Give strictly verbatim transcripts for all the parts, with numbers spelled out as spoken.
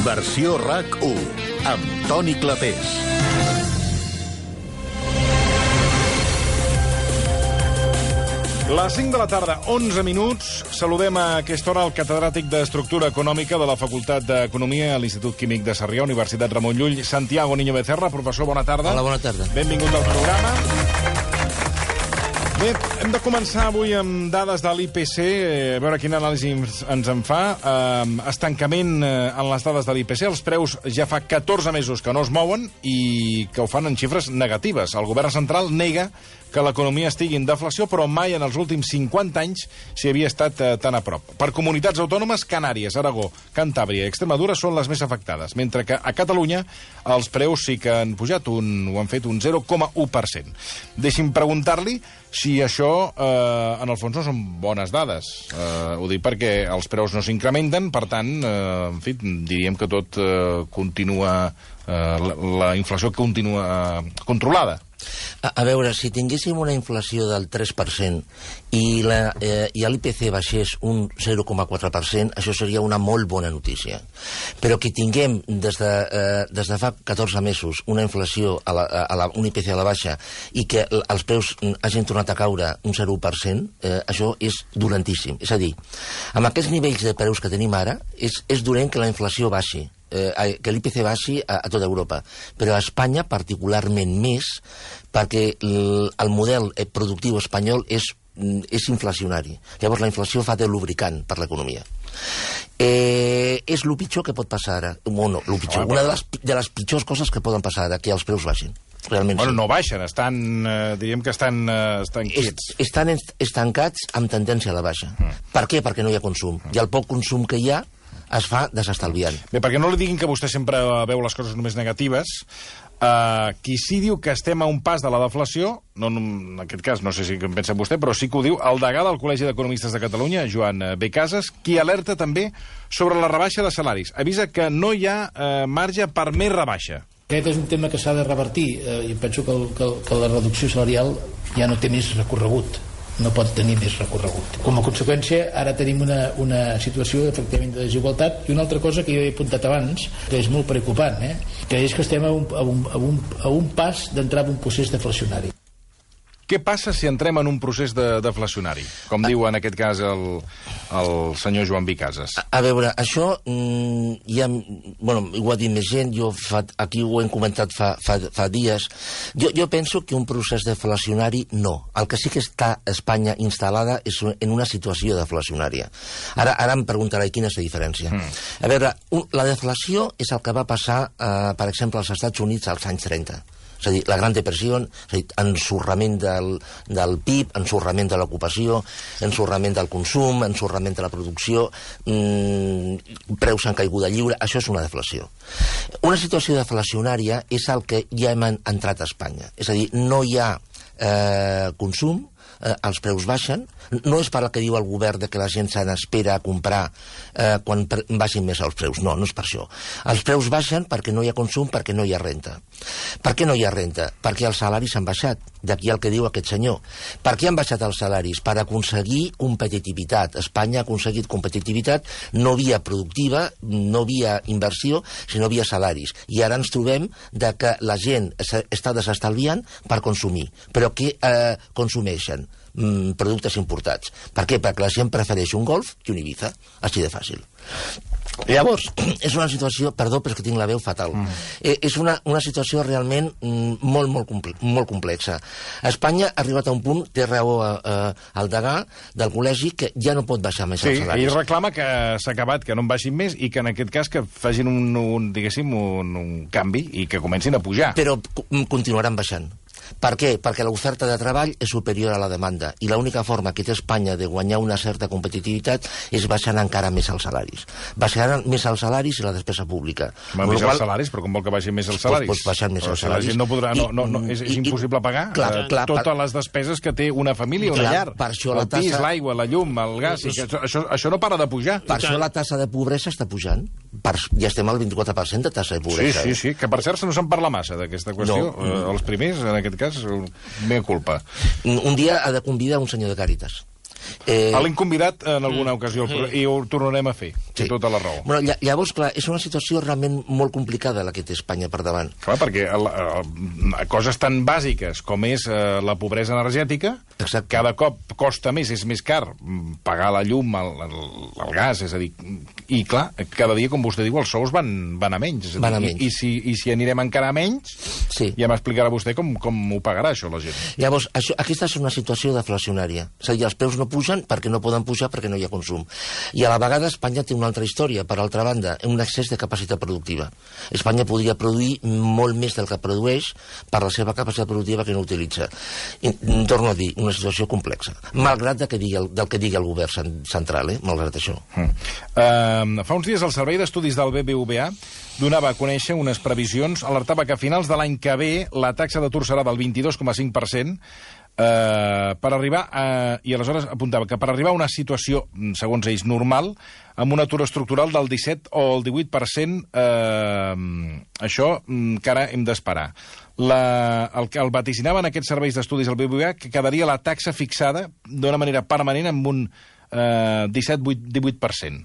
Versió RAC u, amb Toni Clapés. Les cinc de la tarda, onze minuts. Saludem a aquesta hora el catedràtic d'Estructura Econòmica de la Facultat d'Economia a l'Institut Químic de Sarrià, Universitat Ramon Llull, Santiago Niño Becerra. Professor, bona tarda. Hola, bona tarda. Benvingut al programa. Bé, hem de començar avui amb dades de l'I P C, a veure quin anàlisi ens en fa. Uh, estancament en les dades de l'I P C. Els preus ja fa catorze mesos que no es mouen i que ho fan en xifres negatives. El govern central nega que l'economia estigui en deflació, però mai en els últims cinquanta anys s'hi havia estat eh, tan a prop. Per comunitats autònomes, Canàries, Aragó, Cantàbria i Extremadura són les més afectades, mentre que a Catalunya els preus sí que han pujat, un, ho han fet un zero coma u per cent. Deixi'm preguntar-li si això, eh, en el fons, no són bones dades. Eh, ho dic perquè els preus no s'incrementen, per tant, eh, en fi, diríem que tot eh, continua, eh, la, la inflació continua eh, controlada. A, a veure, si tinguéssim una inflació del tres per cent i la, eh, i l'I P C baixés un zero coma quatre per cent, això seria una molt bona notícia. Però que tinguem des de, eh, des de fa catorze mesos una inflació, a la, a la, un I P C a la baixa, i que els preus hagin tornat a caure un zero per cent, eh, això és dolentíssim. És a dir, amb aquests nivells de preus que tenim ara, és, és dolent que la inflació baixi. Eh, que l'I P C baixi a, a tota Europa, però a Espanya particularment més, perquè el, el model productiu espanyol és, és inflacionari. Llavors la inflació fa de lubricant per l'economia. Eh, és el pitjor que pot passar ara. Bueno, lo pitjor, una de les, de les pitjors coses que poden passar ara, que els preus baixin. Realment bueno, sí. No baixen, estan, eh, diríem que estan, eh, estan quiets. Est, estan estancats amb tendència a la baixa. Mm. Per què? Perquè no hi ha consum. Mm. I el poc consum que hi ha es fa desestalviant. Bé, perquè no li diguin que vostè sempre veu les coses només negatives, uh, qui sí diu que estem a un pas de la deflació, no, en aquest cas no sé si en pensa vostè, però sí que ho diu el degà del Col·legi d'Economistes de Catalunya, Joan B. Casas, qui alerta també sobre la rebaixa de salaris. Avisa que no hi ha uh, marge per més rebaixa. Aquest és un tema que s'ha de revertir eh, i penso que, el, que, que la reducció salarial ja no té més recorregut, no pot tenir més recorregut. Com a conseqüència, ara tenim una, una situació efectivament de desigualtat, i una altra cosa que jo he apuntat abans, que és molt preocupant, eh? que és que estem a un, a un, a un, a un pas d'entrar en un procés deflacionari. Què passa si entrem en un procés de deflacionari? Com ah. diu en aquest cas el, el senyor Joan B. Casas. A, a veure, això mm, ja, bueno, ho ha dit més gent, jo fa, aquí ho hem comentat fa, fa, fa dies. Jo, jo penso que un procés deflacionari no. El que sí que està a Espanya instal·lada és en una situació deflacionària. Ara, ara em preguntarà quina és la diferència. Mm. A veure, un, la deflació és el que va passar, eh, per exemple, als Estats Units als anys trenta. És a dir, la Gran Depressió, és a dir, ensorrament del, del P I B, ensorrament de l'ocupació, ensorrament del consum, ensorrament de la producció, mmm, preus en caiguda lliure, això és una deflació. Una situació deflacionària és el que ja hem entrat a Espanya. És a dir, no hi ha eh, consum, eh, els preus baixen, no és per el que diu el govern de que la gent se n'espera a comprar eh, quan baixin més els preus, no, no és per això. Els preus baixen perquè no hi ha consum, perquè no hi ha renta. Per què no hi ha renta? Perquè els salaris han baixat, d'aquí el que diu aquest senyor. Per què han baixat els salaris? Per aconseguir competitivitat. Espanya ha aconseguit competitivitat no via productiva, no via inversió, sinó via salaris. I ara ens trobem de que la gent està desestalviant per consumir. Però què eh, consumeixen? Mm, productes importats. Per què? Perquè la gent prefereix un Golf que un Ibiza. Així de fàcil. Llavors, és una situació... Perdó, però és que tinc la veu fatal. Mm. Eh, és una, una situació realment mm, molt, molt, comple molt complexa. Espanya ha arribat a un punt, té raó eh, el degà del col·legi, que ja no pot baixar més sí, els salaris. Sí, i reclama que s'ha acabat, que no en baixin més, i que en aquest cas que facin un, un diguéssim, un, un canvi i que comencin a pujar. Però continuaran baixant. Per què? Perquè l'oferta de treball és superior a la demanda i l'única forma que té Espanya de guanyar una certa competitivitat és baixant encara més els salaris. Baixaran més els salaris i la despesa pública. Va, més els salaris, però com vol que baixin més els salaris? Pues, pues baixant més però els si salaris. La gent no podrà, no, no, no, és, és I, impossible pagar clar, eh, clar, totes per, les despeses que té una família, una clar, llar. Per això la el pis, tassa... l'aigua, la llum, el gas... I que això, això, això no para de pujar. Per això la tassa de pobresa està pujant. Per, ja estem al vint-i-quatre per cent de tassa de pobresa. Sí, sí, sí, que per cert no se'n parla massa d'aquesta qüestió. No. Eh, els primers, en aquest cas, mea culpa. Un dia ha de convidar un senyor de Càritas. Eh... L'hem convidat en alguna ocasió i ho tornarem a fer, té tota la raó. Bueno, llavors, clar, és una situació realment molt complicada la que té Espanya per davant. Clar, perquè el, el, coses tan bàsiques com és eh, la pobresa energètica, Exacte. cada cop costa més, és més car pagar la llum, el, el, el gas, és a dir, i clar, cada dia, com vostè diu, els sous van, van a menys. És a dir, van a menys. I, i, si, I si anirem encara a menys, sí. ja m'explicarà vostè com, com ho pagarà això la gent. Llavors, això, aquesta és una situació deflacionària. És a dir, els preus no pugen perquè no poden pujar perquè no hi ha consum. I a la vegada Espanya té una altra història, per altra banda, un excés de capacitat productiva. Espanya podria produir molt més del que produeix per la seva capacitat productiva que no utilitza. I, torno a dir, una situació complexa. Malgrat de que digui el, del que digui el govern central, eh? Malgrat això. Mm. Uh, fa uns dies el Servei d'Estudis del B B V A donava a conèixer unes previsions, alertava que a finals de l'any que ve la taxa d'atur serà del vint-i-dos coma cinc per cent, Uh, per arribar a, i aleshores apuntava que per arribar a una situació, segons ells, normal, amb un atur estructural del disset o el divuit per cent, uh, això encara hem d'esperar. La, el que el vaticinaven aquests serveis d'estudis al B B V A que quedaria la taxa fixada d'una manera permanent amb un uh, disset a divuit per cent.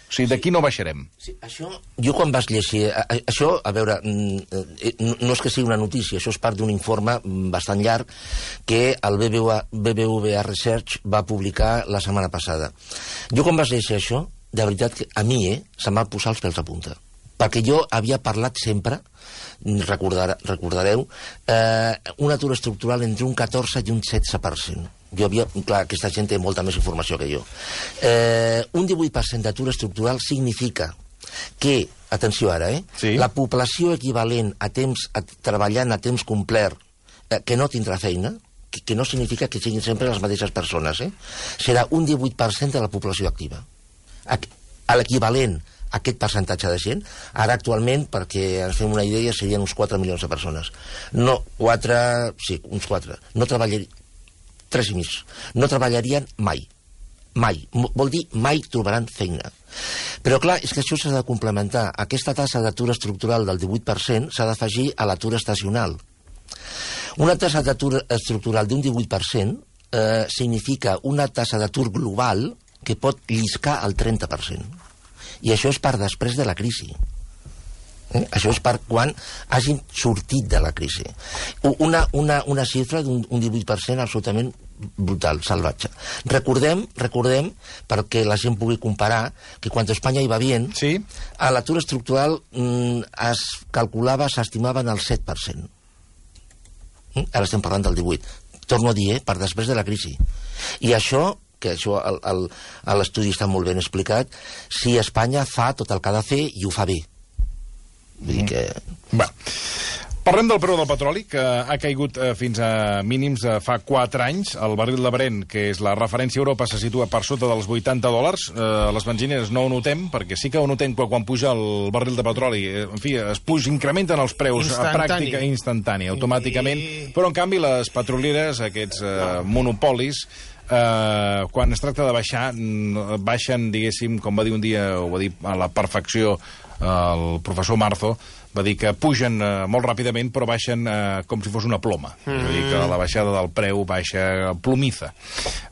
O sigui, d'aquí no baixarem. Sí, això, jo quan vas llegir... A, a, això, a veure, no, no és que sigui una notícia, això és part d'un informe bastant llarg que el B B V A Research va publicar la setmana passada. Jo quan vas llegir això, de veritat, que a mi, eh, se'm va posar els pèls a punta. Perquè jo havia parlat sempre, recordar, recordareu, eh, un atur estructural entre un catorze i un setze per cent. Jo havia... Clar, aquesta gent té molta més informació que jo. Eh, un divuit per cent d'atur estructural significa que, atenció ara, eh, sí. la població equivalent a temps, a, treballant a temps complet, eh, que no tindrà feina, que, que no significa que siguin sempre les mateixes persones, eh, serà un divuit per cent de la població activa. A, a l'equivalent a aquest percentatge de gent, ara actualment, perquè ens fem una idea, serien uns quatre milions de persones. No, quatre... Sí, uns quatre. No treballarien... Tres i mig. No treballarien mai. Mai. Vol dir mai trobaran feina. Però clar, és que això s'ha de complementar. Aquesta tassa d'atur estructural del divuit per cent s'ha d'afegir a l'atur estacional. Una tassa d'atur estructural d'un divuit per cent eh, significa una tassa d'atur global que pot lliscar al trenta per cent. I això és per després de la crisi. Eh? Això és per quan hagin sortit de la crisi. Una, una, una xifra d'un divuit per cent absolutament brutal, salvatge. Recordem, recordem, perquè la gent pugui comparar, que quan Espanya hi va bien, sí. a l'atur estructural mm, es calculava, s'estimava en el set per cent. Mm? Ara estem parlant del divuit. Torno a dir, eh, per després de la crisi. I això, que això a l'estudi està molt ben explicat, si Espanya fa tot el que ha de fer i ho fa bé. Vull dir que... Va. Parlem del preu del petroli, que ha caigut eh, fins a mínims eh, fa quatre anys. El barril de Brent, que és la referència a Europa, se situa per sota dels vuitanta dòlars. Eh, les benzineres no ho notem, perquè sí que ho notem quan puja el barril de petroli. Eh, en fi, es puja, incrementen els preus a pràctica instantània, automàticament. I... Però, en canvi, les petrolieres, aquests eh, monopolis, eh, quan es tracta de baixar, baixen, diguéssim, com va dir un dia, ho va dir a la perfecció el professor Marzo, va dir que pugen eh, molt ràpidament, però baixen eh, com si fos una ploma. Mm. És a dir, que la baixada del preu baixa plomiza.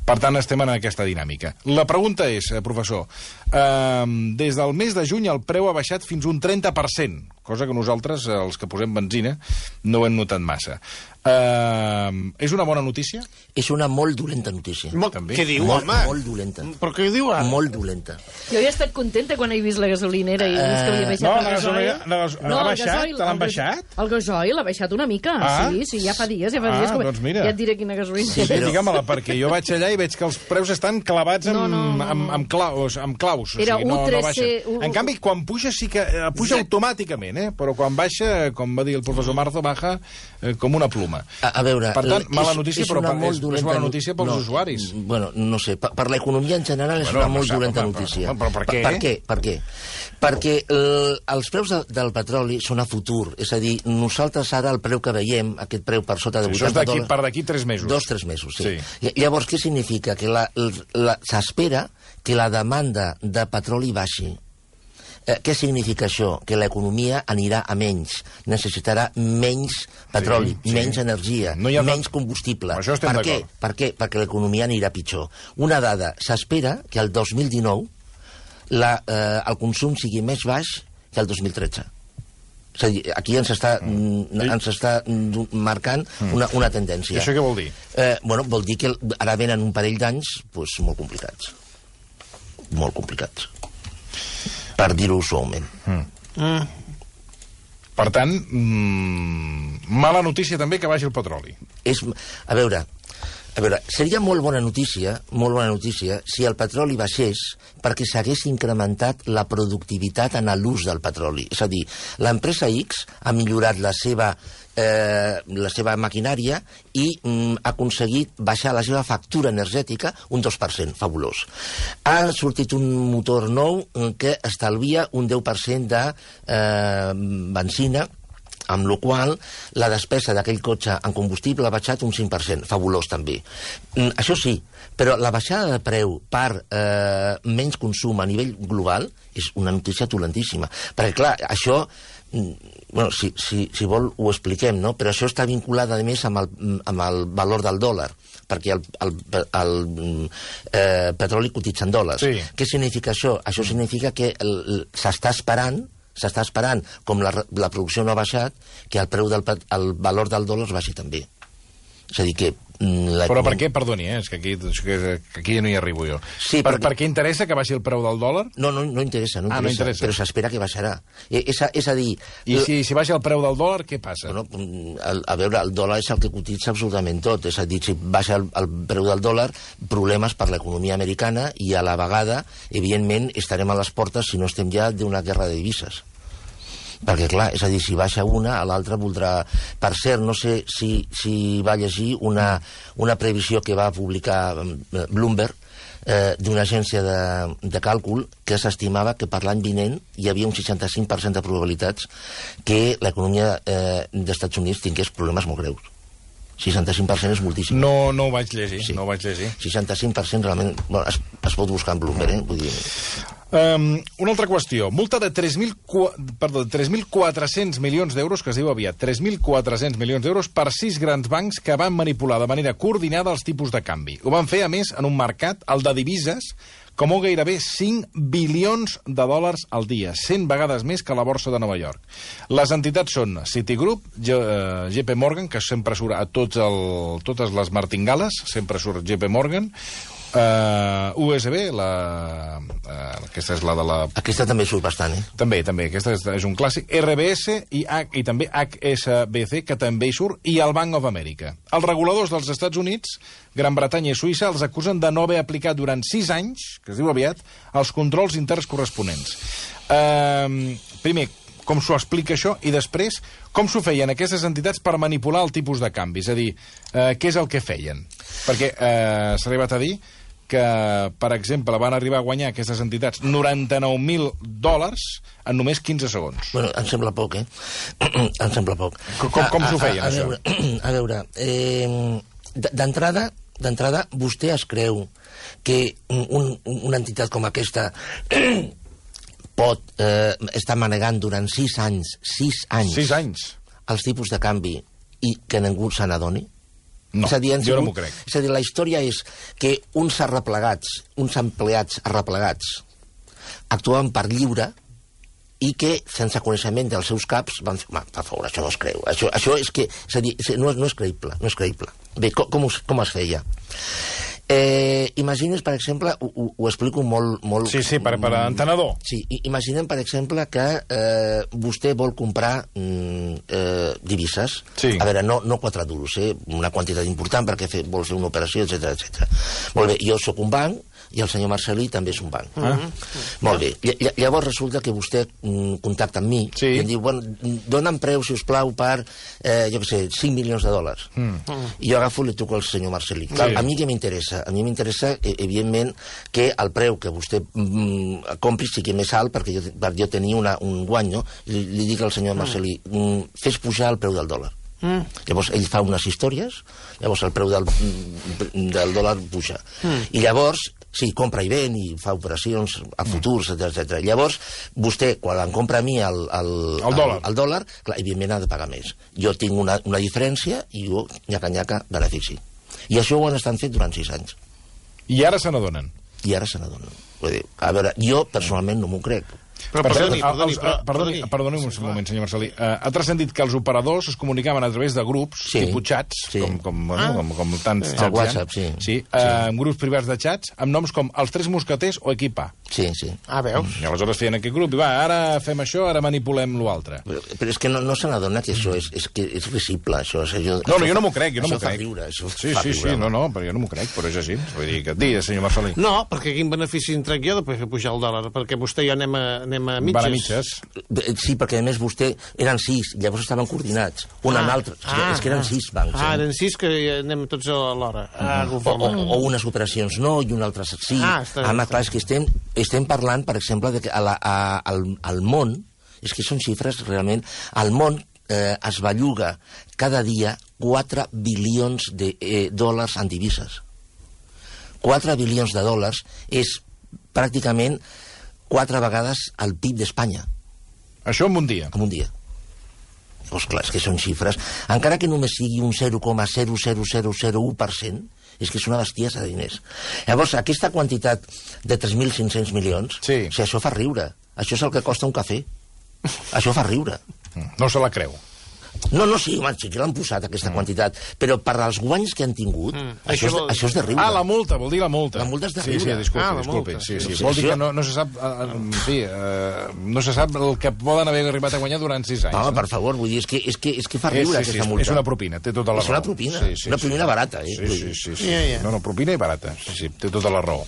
Per tant, estem en aquesta dinàmica. La pregunta és, eh, professor, eh, des del mes de juny el preu ha baixat fins un trenta per cent, cosa que nosaltres, els que posem benzina, no ho hem notat massa. Uh, és una bona notícia? És una molt dolenta notícia. Molt, què diu, molt, home? Molt dolenta. Però què diu ara? Molt dolenta. Jo he estat contenta quan he vist la gasolinera i he vist que havia baixat no, el gasoil. No, no, l'ha baixat? Te l'han baixat? El gasoil l'ha baixat una mica, ah? sí, sí, ja fa dies, ja fa dies. Ah, que... doncs mira. Ja et diré quina gasolina. Sí, però... digue-me-la, perquè jo vaig allà i veig que els preus estan clavats amb, no, no, no. amb, amb claus. Amb claus Era o sigui, no, U tres C... No U... En canvi, quan puja sí que uh, puja sí. automàticament, eh? Però quan baixa, com va dir el professor Marzo, baja eh, com una pluma. A, a veure... Per tant, mala notícia, és, és però per, és, és bona notícia pels no, usuaris. Bueno, no sé, per, per l'economia en general és bueno, una molt no dolenta per, notícia. Per, però per què? Per, per què? Per què? Perquè el, els preus de, del petroli són a futur. És a dir, nosaltres ara el preu que veiem, aquest preu per sota de sí, vuitanta dòlars... Per d'aquí tres mesos. Dos, tres mesos, sí. sí. Llavors, què significa? Que s'espera que la demanda de petroli baixi. Eh, què significa això? Que l'economia anirà a menys, necessitarà menys petroli, sí, sí. menys energia, no ha... menys combustible. Això estem per què? d'acord. Per què? Perquè l'economia anirà pitjor. Una dada, s'espera que el dos mil dinou la, eh, el consum sigui més baix que el dos mil tretze. És a dir, aquí ens està, mm. ens està marcant mm. una, una tendència. I això què vol dir? Eh, bueno, vol dir que ara venen un parell d'anys pues, molt complicats. Molt complicats. Per dir-ho suaument. Mm. Mm. Per tant, mmm, mala notícia també que baixi el petroli. És, a veure, a veure, seria molt bona notícia, molt bona notícia, si el petroli baixés perquè s'hagués incrementat la productivitat en l'ús del petroli. És a dir, l'empresa X ha millorat la seva, eh, la seva maquinària i mm, ha aconseguit baixar la seva factura energètica un dos per cent, fabulós. Ha sortit un motor nou que estalvia un deu per cent de eh, benzina, amb la qual la despesa d'aquell cotxe en combustible ha baixat un cinc per cent, fabulós també. Mm, això sí, però la baixada de preu per eh, menys consum a nivell global és una notícia dolentíssima. Perquè, clar, això, mm, bueno, si, si, si vol ho expliquem, no? Però això està vinculat, a més, amb el, amb el valor del dòlar, perquè el, el, el eh, petroli cotitza en dòlars. Sí. Què significa això? Això significa que s'està esperant s'està esperant, com la, la producció no ha baixat, que el preu del el valor del dòlar baixi també. És a dir, que... La... Però per què? Perdoni, eh? És que aquí, que aquí ja no hi arribo jo. Sí, per, perquè... per què interessa que baixi el preu del dòlar? No, no, no interessa, no interessa, ah, no interessa. Però s'espera que baixarà. És a, és a dir... I si, si baixa el preu del dòlar, què passa? Bueno, a, a veure, el dòlar és el que cotitza absolutament tot. És a dir, si baixa el, el preu del dòlar, problemes per l'economia americana i a la vegada, evidentment, estarem a les portes, si no estem ja, d'una guerra de divises. Perquè, clar, és a dir, si baixa una, a l'altra voldrà... Per cert, no sé si, si va llegir una, una previsió que va publicar Bloomberg eh, d'una agència de, de càlcul que s'estimava que per l'any vinent hi havia un seixanta-cinc per cent de probabilitats que l'economia eh, dels Estats Units tingués problemes molt greus. seixanta-cinc per cent és moltíssim. No, no ho vaig llegir, sí. no ho vaig llegir. seixanta-cinc per cent realment... Bueno, es, es pot buscar en Bloomberg, eh? Vull dir... Um, una altra qüestió. Multa de tres mil quatre-cents milions d'euros, que es diu aviat, tres mil quatre-cents milions d'euros per sis grans bancs que van manipular de manera coordinada els tipus de canvi. Ho van fer, a més, en un mercat, el de divises, que mou gairebé cinc bilions de dòlars al dia, cent vegades més que la borsa de Nova York. Les entitats són Citigroup, G, uh, J P Morgan, que sempre surt a tots el, totes les martingales, sempre surt J P Morgan, Uh, U S B, la, uh, aquesta és la de la... Aquesta també surt bastant, eh? També, també, aquesta és, és un clàssic. R B S i, H, i també H S B C, que també hi surt, i el Bank of America. Els reguladors dels Estats Units, Gran Bretanya i Suïssa, els acusen de no haver aplicat durant sis anys, que es diu aviat, els controls interns corresponents. Uh, primer, com s'ho explica això, i després, com s'ho feien aquestes entitats per manipular el tipus de canvi? És a dir, uh, què és el que feien? Perquè uh, s'ha arribat a dir que, per exemple, van arribar a guanyar aquestes entitats noranta-nou mil dòlars en només quinze segons. Bueno, em sembla poc, eh? Em sembla poc. Com, com, com s'ho feien, a, a, a això? Veure, a veure, eh, d'entrada, d'entrada, vostè es creu que un, una entitat com aquesta pot eh, estar manegant durant sis anys, sis anys, sis anys, els tipus de canvi i que ningú se n'adoni? No, és a dir, jo sigut, no m'ho crec. És a dir, la història és que uns arreplegats, uns empleats arreplegats, actuaven per lliure i que, sense coneixement dels seus caps, van dir, per favor, això no es creu. Això, això és que, és a dir, no, no és creïble, no és creïble. Bé, com, com, com es feia? Eh, imagines, per exemple, ho, ho, ho explico molt... molt sí, sí, per, per entenedor. Sí, imaginem, per exemple, que eh, vostè vol comprar mm, eh, divises. Sí. A veure, no, no quatre duros, eh, una quantitat important perquè fe, vol fer una operació, etcètera, etcètera. Molt bé, jo sóc un banc i el senyor Marcelí també és un banc. Ah. Molt bé. Ll llavors resulta que vostè mm, contacta amb mi sí. i em diu, bueno, dona'm preu, si us plau, per, eh, jo què sé, cinc milions de dòlars. Mm. I jo agafo i li truco al senyor Marcelí. Clar, sí. A mi què m'interessa? A mi m'interessa, evidentment, que el preu que vostè mm, compri sigui més alt perquè jo, per jo tenir una, un guany, no? Li, li dic al senyor Marcelí, mm, fes pujar el preu del dòlar. Mm. Llavors ell fa unes històries, llavors el preu del, del dòlar puja. Mm. I llavors Sí, compra i ven i fa operacions a futurs, etcètera. Llavors, vostè, quan em compra a mi el, el, el dòlar, el, el dòlar clar, evidentment ha de pagar més. Jo tinc una, una diferència i jo, nyaca-nyaca, benefici. I això ho han estat fent durant sis anys. I ara se n'adonen. I ara se n'adonen. Vull dir, a veure, jo personalment no m'ho crec. Però Per perdoni, cert, perdoni, els- però- perdoni, perdoni. perdoni un moment, senyor Marcelí. Uh, ha transcendit que els operadors es comunicaven a través de grups, Sí. tipus xats, Sí. com, com, bueno, com, com tants El xats WhatsApp, hi ha. sí. Sí, uh, amb grups privats de xats, amb noms com els Tres Mosqueters o Equip A. Sí, sí. Ah, veus? I aleshores feien aquest grup i va, ara fem això, ara manipulem l'altre. Però, però és que no, no se n'adona que això és, és, que és risible, això. És, això No, no, jo no m'ho crec, jo no m'ho això fa crec. riure, això Sí, fa sí, riure, sí, no, no, però jo no m'ho crec, però és així. Vull dir, que et digui, senyor Marcelí. No, perquè quin benefici en trec jo de fer pujar el dòlar? Perquè vostè i jo anem a, anem a mitges. Van a mitges. Bé, Sí, perquè a més vostè eren sis, llavors estaven coordinats, un Ah, amb l'altre. És, que- ah, és que eren ah. sis bancs. Ah, eh? eren sis que anem tots a l'hora. Ah, o, o, conforme. o unes operacions no i un altre sí. Ah, està bé, Home, està clar, és que estem, estem parlant, per exemple, de que a la, a, al, al món, és que són xifres realment, al món eh, es belluga cada dia quatre bilions de eh, dòlars en divises. quatre bilions de dòlars és pràcticament quatre vegades el P I B d'Espanya. Això en un dia. En un dia. Doncs clar, és que són xifres. Encara que només sigui un zero coma zero zero zero zero u per cent, és que és una bestiesa de diners. Llavors, aquesta quantitat de tres mil cinc-cents milions, Sí. o sigui, això fa riure. Això és el que costa un cafè. Això fa riure. No se la creu. No, no, sí, home, sí que l'han posat, aquesta Mm. quantitat, però per als guanys que han tingut, Mm. això, Això és, vol- això és de riure. Ah, la multa, vol dir la multa. La multa és de Sí, riure. sí, disculpi, Ah, la disculpi. multa. Sí, sí. Sí, Vol sí, dir que això- no, no se sap... Eh, en fi, eh, no se sap el que poden haver arribat a guanyar durant sis anys. Home, no? per favor, vull dir, és que, és que, és que fa És, riure, sí, sí, aquesta és, multa. és una propina, té tota la És raó. una propina, una propina barata, eh? Sí, sí, sí. sí. Ja, ja. No, no, propina i barata. Sí, sí, té tota la raó.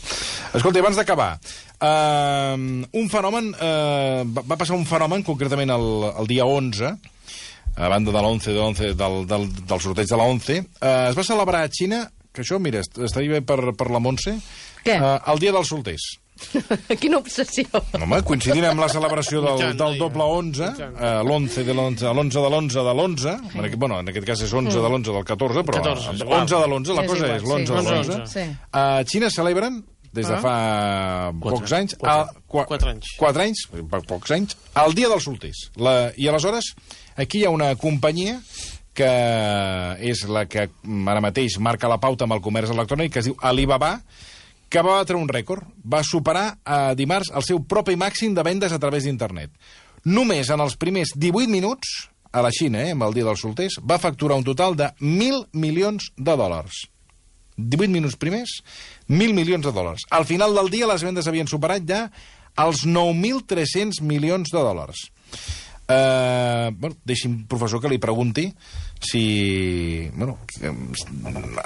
Escolta, abans d'acabar, uh, un fenomen, uh, va, va passar un fenomen, concretament el, el dia onze, a banda de l'onze, de l'onze del, del, del sorteig de la onze, uh, es va celebrar a Xina, que això, mira, est- estaria bé per, per la Montse, Què? Uh, el dia dels solters. Quina obsessió. Home, coincidint amb la celebració del, Mitjana, del ja. doble onze, eh, l'onze de l'onze, l'onze de l'onze de l'onze, en aquest, bueno, en aquest cas és onze de l'onze del catorze, però catorze, és onze igual. de l'onze, la És cosa igual, és l'onze sí. de onze, l'onze. onze. Sí. A Xina celebren, des de Ah. fa pocs anys, Quatre. a, qua, Quatre anys. quatre anys, per pocs anys, el dia dels solters. La, I aleshores, aquí hi ha una companyia que és la que ara mateix marca la pauta amb el comerç electrònic, que es diu Alibaba, que va batre un rècord. Va superar a dimarts el seu propi màxim de vendes a través d'internet. Només en els primers divuit minuts, a la Xina, eh, amb el dia dels solters, va facturar un total de mil milions de dòlars. divuit minuts primers, mil milions de dòlars. Al final del dia les vendes havien superat ja els nou mil tres-cents milions de dòlars. Uh, bueno, deixi'm, professor, que li pregunti si... Bueno,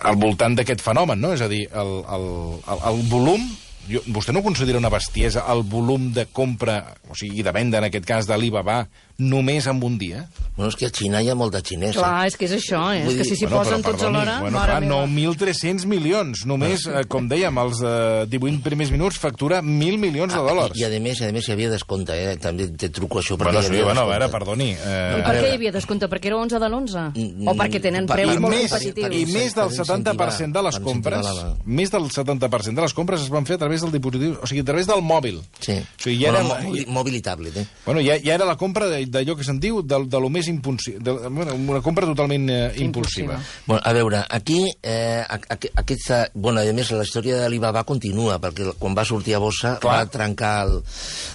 al voltant d'aquest fenomen, no? És a dir, el, el, el, el volum... Jo, vostè no considera una bestiesa el volum de compra, o sigui, i de venda, en aquest cas, d'Alibaba, només en un dia? Bueno, és que a Xina hi ha molt de xinès. eh? Clar, és que és això, eh? Vull És que dir, si s'hi Bueno, posen però tots a perdoni, l'hora... Bueno, mare clar, meva. nou mil tres-cents milions. Només, eh, com dèiem, els eh, divuit primers minuts factura mil milions de dòlars. I, i a més, a més hi havia descompte, eh? També te truco això perquè Bueno, hi sí, havia bueno, a veure, descompte. perdoni. I Eh, per a què veure. hi havia descompte? Perquè era onze de l'onze? Mm, O perquè tenen per- preus I molt més, competitius? i més del Per setanta per cent de les per compres, incentivar la- més del setanta per cent de les compres es van fer a través del dispositiu, o sigui, a través del mòbil. Sí. O sigui, ja bueno, era, mòbil, mòbil i tablet, eh? bueno, ja, ja era la compra de- d'allò que se'n diu de, de lo més impulsiu, de, bueno, una compra totalment eh, impulsiva. Impulsiva. Bueno, a veure, aquí, eh, a- a- aquesta... Bueno, a més, la història d'Alibaba continua, perquè quan va sortir a bossa Clar. va trencar el...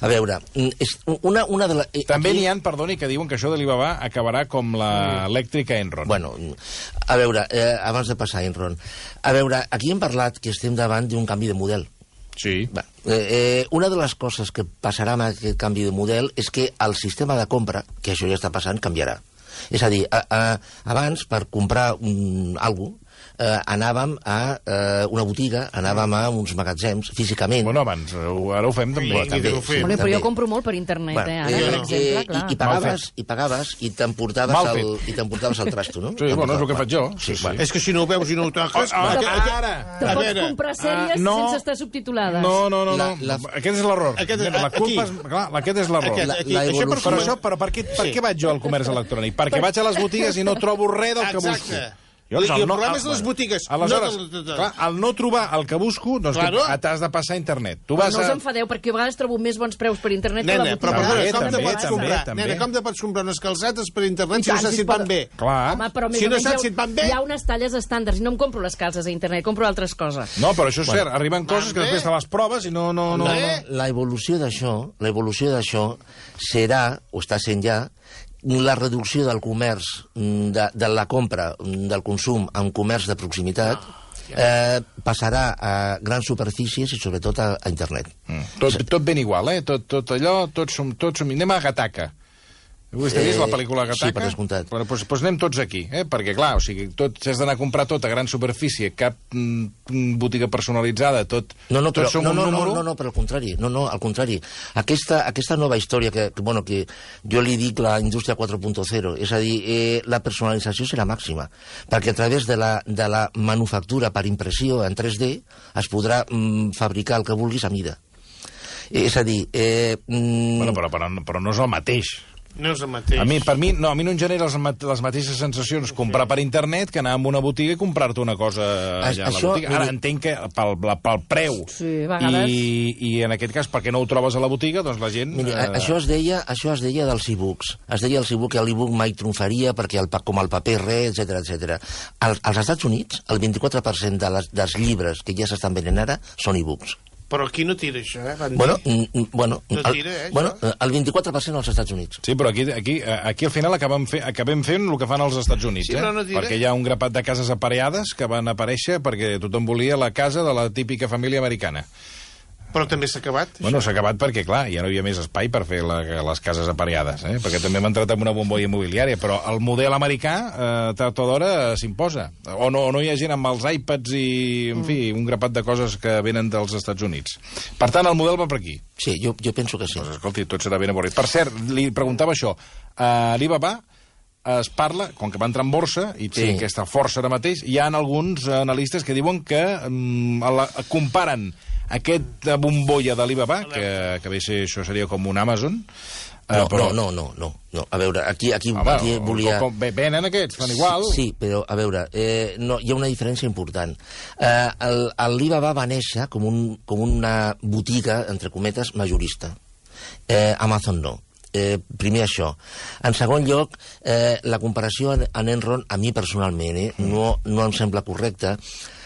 A veure, mm, és una, una de les... També n'hi ha, perdoni, que diuen que això d'Alibaba acabarà com l'elèctrica Enron. Bueno, a veure, eh, abans de passar a Enron, a veure, aquí hem parlat que estem davant d'un canvi de model. Sí. Va, eh, eh, una de les coses que passarà amb aquest canvi de model és que el sistema de compra, que això ja està passant, canviarà. És a dir, a, a, abans, per comprar un, alguna cosa, eh, anàvem a eh, una botiga, anàvem a uns magatzems, físicament. Bueno, abans, eh, ara ho fem també. Bueno, també ho fem. Bueno, però també. jo compro molt per internet, Bueno, eh, ara, eh, per exemple, eh, clar. I, i pagaves, i pagaves i t'emportaves Mal el, fet. i t'emportaves el trasto, no? Sí, bueno, és el que faig jo. Sí, Sí, sí. bueno. És que si no ho veus i no ho toques... Ah, va, ah, ara! Te a pots veure, comprar sèries ah, no. sense estar subtitulades. No, no, no, no. La- la- Aquest és l'error. Aquest- Mira, la culpa aquí. és, clar, aquest és l'error. Aquest, La- aquí, la això per evolució- Però, això, però per, què, per Sí. què vaig jo al comerç electrònic? Perquè vaig a les botigues i no trobo res del que busco. Exacte. Jo, I doncs, el no- problema ah, és de les bueno. botigues. Aleshores, no de- de- de- clar, al no trobar el que busco, doncs Claro. que t'has de passar a internet. Tu Però vas no us a... enfadeu, perquè a vegades trobo més bons preus per internet que a la Nena, botiga. però perdona, També, com te també, pots també, comprar? també. Nena, com te pots comprar unes calcetes per I internet si tant, no saps si si et pot- van bé? Clar. Home, però més Si o no menys saps hi ha- si et van bé. Hi ha unes talles estàndards i no em compro les calces a internet, compro altres coses. No, però això és cert. Arriben coses que Bé. després te les proves i no... no, no, no. Bé. La evolució d'això, la evolució d'això serà, o està sent ja, la reducció del comerç, mm, de, de la compra, mm, del consum en comerç de proximitat, eh, passarà a grans superfícies i sobretot a, a internet. Mm. Tot, tot ben igual, eh? Tot, tot allò, tots som... Tots som... Anem a Gataca. Vostè ha vist la pel·lícula Gataca? Sí, per descomptat. Però, doncs, doncs anem tots aquí, eh? Perquè, clar, o sigui, tot, si has d'anar a comprar tot a gran superfície, cap mm, botiga personalitzada, tot... No, no, però, tots som no, un no, no, número... no, no, però al contrari, no, no, al contrari. Aquesta, aquesta nova història que, que, bueno, que jo li dic la indústria quatre punt zero, és a dir, eh, la personalització serà màxima, perquè a través de la, de la manufactura per impressió en tres D es podrà mm, fabricar el que vulguis a mida. Eh, és a dir... Eh, mm, Bueno, però, però, però no és el mateix. No és el mateix. A mi, per mi, no, a mi no em genera les, ma- les mateixes sensacions comprar per internet que anar a una botiga i comprar-te una cosa allà Això- a la botiga. Ara miri- entenc que pel, la- pel preu Sí, a vegades. i, i en aquest cas perquè no ho trobes a la botiga, doncs la gent... Miri, eh, eh... això es deia, això es deia dels e-books. Es deia als e-book que l'e-book mai triomfaria perquè el, pa- com el paper res, etcètera, etcètera. Als, als Estats Units, el vint-i-quatre per cent de les, dels llibres que ja s'estan venent ara són e-books. Però aquí no tira això, eh? Van Bueno, dir. mm, mm, bueno, No el, tira, eh, bueno, això? el vint-i-quatre per cent als Estats Units. Sí, però aquí, aquí, aquí al final acabem, fe, acabem fent el que fan els Estats Units, Sí, eh? però no diré. Perquè hi ha un grapat de cases apareades que van aparèixer perquè tothom volia la casa de la típica família americana. Però també s'ha acabat. Bueno, s'ha acabat perquè, clar, ja no hi havia més espai per fer la, les cases apareades, eh? Perquè també hem entrat en una bombolla immobiliària, però el model americà, eh, tard o d'hora, eh, s'imposa. O no, o no hi ha gent amb els iPads i, en fi, un grapat de coses que venen dels Estats Units. Per tant, el model va per aquí. Sí, jo, jo penso que sí. Doncs, escolti, tot serà ben avorrit. Per cert, li preguntava això. A Alibaba es parla, com que va entrar en borsa i té Sí. aquesta força ara mateix, hi ha alguns analistes que diuen que mm, la, comparen aquesta bombolla d'Alibaba, que, que bé ser, això seria com un Amazon, eh, No, però... no, no, no, no. A veure, aquí, aquí, Home, aquí volia... com, com, venen aquests, fan igual. Sí, però, a veure, eh, no, hi ha una diferència important. Eh, el, el Alibaba va néixer com, un, com una botiga, entre cometes, majorista. Eh, Amazon no. Eh, primer això. En segon lloc, eh, la comparació en, en Enron, a mi personalment, eh, no, no em sembla correcta.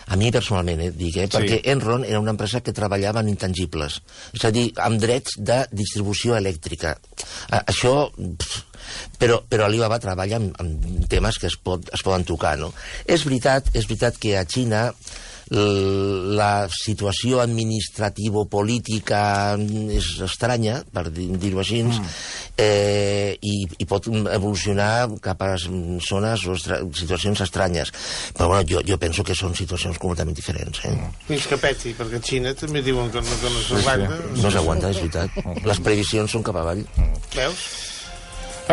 A mi personalment, eh, dic, eh, perquè Enron era una empresa que treballava en intangibles, és a dir, amb drets de distribució elèctrica. Eh, això... Pff, però, però Alibaba treballa amb, amb temes que es, pot, es poden tocar, no? És veritat, és veritat que a Xina la situació administrativa-política és estranya, per dir-ho així, mm. eh, i, i pot evolucionar cap a zones o estra situacions estranyes. Però bueno, jo, jo penso que són situacions completament diferents. Eh? Fins que peti, perquè a Xina també diuen que no, que no s'aguanta. No s'aguanta, és veritat. Les previsions són cap avall. Veus?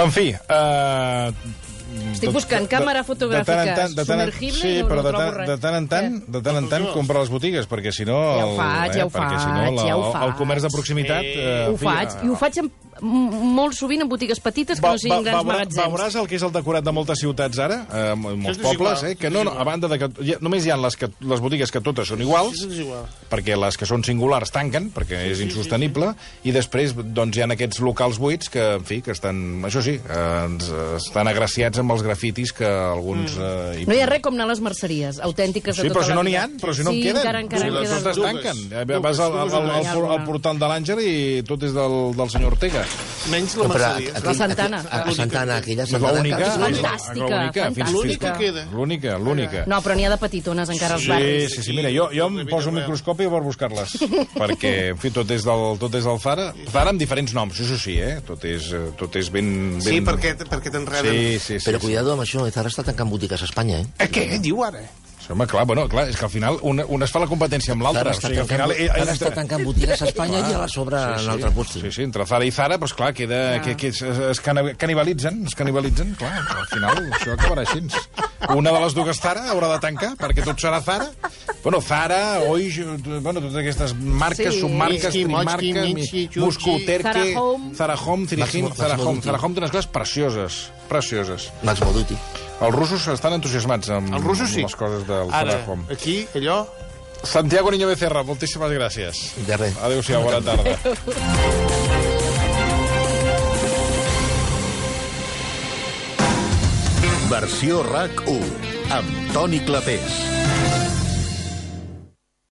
En fi, eh... Estic buscant càmera fotogràfica submergible sí, i no, però no de trobo tant, res. de tant en tant, de tant en tant compra les botigues, perquè si no... Ja ho faig, ja ho perquè, si no, faig, la, ja ho el, el comerç de faig. proximitat... Sí. Eh, Ho faig, i ho faig amb, m- molt sovint en botigues petites que no siguin grans magatzems. Veuràs el que és el decorat de moltes ciutats ara, eh, molts Això és pobles, igual, eh, que això no, és no, a banda de que ja, només hi ha les, que, les botigues que totes són iguals, Això és igual. perquè les que són singulars tanquen, perquè és insostenible, i després doncs, hi ha aquests locals buits que, en fi, que estan, això sí, eh, ens, estan agraciats amb els grafitis que alguns... Eh, hi... No hi ha res com anar a les merceries, autèntiques de Sí, tota però si la no n'hi vida. ha, però si no sí, en queden. encara, encara Sí, en totes queden. dues. tanquen. Eh, Dues, Vas al, al, dues, al, al, dues. al portal de l'Àngel i tot és del, del senyor Ortega. Menys la No, però merceria. aquell- La Santana. A, a Santana, aquella És Santana... l'única. que- Fantàstica, l'única, fins- fantàstica. L'única que queda. L'única, l'única. No, però n'hi ha de petitones encara als Sí, barris. sí, sí, mira, jo, jo em poso un microscopi per buscar-les, perquè, en fi, tot és del, tot és del Zara. Zara amb diferents noms, això sí, eh? Tot és, eh, tot és ben... ben... Sí, perquè, perquè t'enreden. Sí, sí, sí. Però sí. cuidado amb això, Zara està tancant botigues a Espanya, eh? Eh, què diu ara? Sí, home, clar, bueno, clar, és que al final una, una es fa la competència amb l'altra. Zara O està, sigui, al tancant, final... eh, Zara entre- està tancant botigues a Espanya Clar. i a la sobre Sí, en sí. l'altre puesto. Sí, sí, entre Zara i Zara, doncs clar, queda, que, que es, es cana- canibalitzen, es canibalitzen, clar, al final això acabarà així. Una de les dues Zara haurà de tancar, perquè tot serà Zara. Bueno, Zara, Oix, bueno, totes aquestes marques, Sí. submarques, Minsky, trimarques, Mochki, Minsky, Chuchi. Moscou, Terque, Zara Home. Zara Home, Cirijin, Maximo- Zara Maximo Home. Dutti. Zara Home té unes coses precioses, precioses. Max Moduti. Els russos estan entusiasmats amb, Els russos sí. amb les coses del Ara, Faraón. aquí, allò... Santiago Niño Becerra, moltíssimes gràcies. De res. Adéu-siau, bona tarda. Versió RAC u, amb Toni Clapés.